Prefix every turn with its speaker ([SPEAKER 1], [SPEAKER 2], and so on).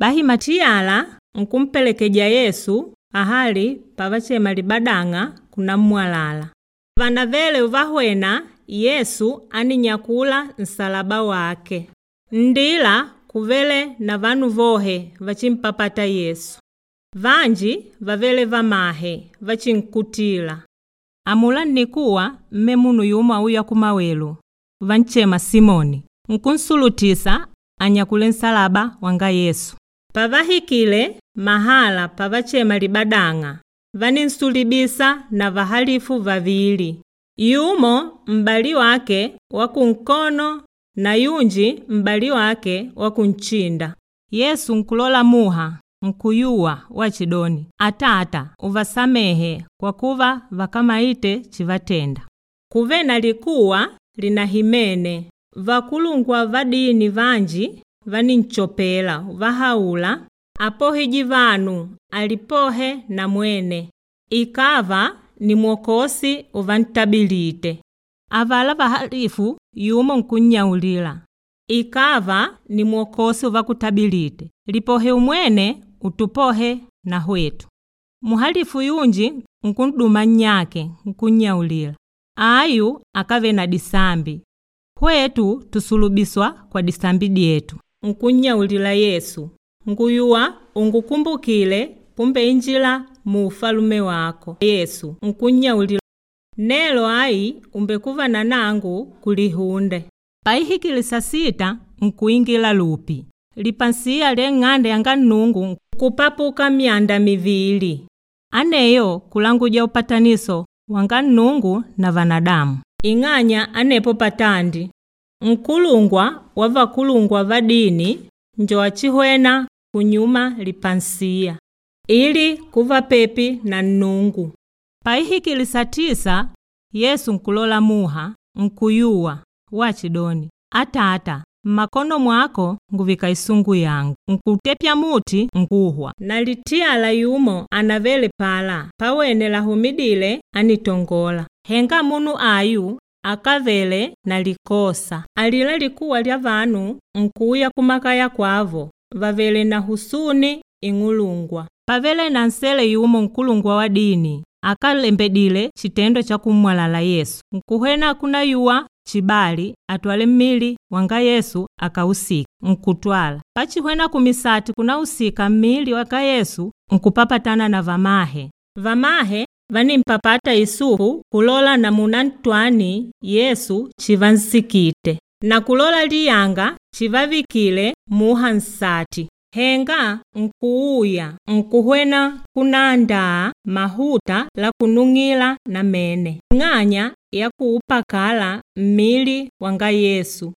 [SPEAKER 1] Bahi Matiyala nkumpelekeja Yesu ahali pavachema libadang'a kunammwalala. Vanavele uvahwena, Yesu áninyakula nsalaba wake. Nndila kuvele na vanu vohe vachimpapata Yesu. Vanji vavele vamahe vachinkutila. Amula nnikuwa mme munu yumo auya kumawelu vanchema Simoni, nkunsulutisa anyakule nsalaba wanga Yesu. Pavahikile mahala pavachema libadang'a, vaninsulubisa na vahalifu vavili, yumo m'bali wake wa kunkono na yunji m'bali wake wa kunchinda. Yesu nkulola muha nkuyuwa wachidoni, “Atata uvasamehe kwa kuva vakamaite chivatenda.” Kuve na likuwa linahimene, vakulungwa va dini vanji vaninchopela vahaula, “Apohije vanu, alipohe na mwene, ikava ni Mwokosi uvantabilite.” Avala vahalifu yumo nkunnyaulila, “Ikava ni Mwokosi uvakutabilite, lipohe umwene utupohe na hwetu.” Muhalifu yunji nkun'duma nnyake nkunnyaulila, “Ayu akave na disambi, hwetu tusulubiswa kwa disambi dyetu.” Nkunnyaulila Yesu, “Nguyuwa ungukumbukile pumbeinjila mu ufalume wako.” Yesu nkunnyaulila, “Nelo ayi umbekuva na nangu kulihunde.” Paihikile sasita nkuingila lupi. Lipansiya lya ing'ande yanga Nnungu nkupapuka myanda mivili. Aneyo kulanguja upataniso wanga Nnungu na vanadamu. Ing'anya anepo patandi nkulungwa wa vakulungwa va dini njo achihwena kunyuma lipansiya ili kuva pepi na Nnungu. Paihikile satisa Yesu nkulola muha nkuyuwa wachidoni, “Atata, mmakono mwako nguvika isungu yangu.” Nkutepya muti nkuhwa. Na litiyala yumo anavele pala pawene lahumidile ánitongola. Henga munu ayu akávele na likosa. Alila likuwa lya vanu nkuuya kumakaya kwavo vàvele na husuni ing'ulungwa. Pávele na nsele yumo nkulungwa wa dini akálembedile chitendo cha kummwalala Yesu. Nkuhwena kunayuwa chibali atwale mmili wanga Yesu akausike, nkutwala. Pachihwena kumisati kunausika mmili wanga Yesu nkupapatana na vamahe. Vamahe vánimpapata Yusufu kulola namuna ntwani Yesu chivansikite na kulola liyanga chivavikile muha nsati. Henga nkuuya nkuhwena kunaandaa mahuta la kunung'ila namene ing'anya ya kuupakala mmili wanga Yesu.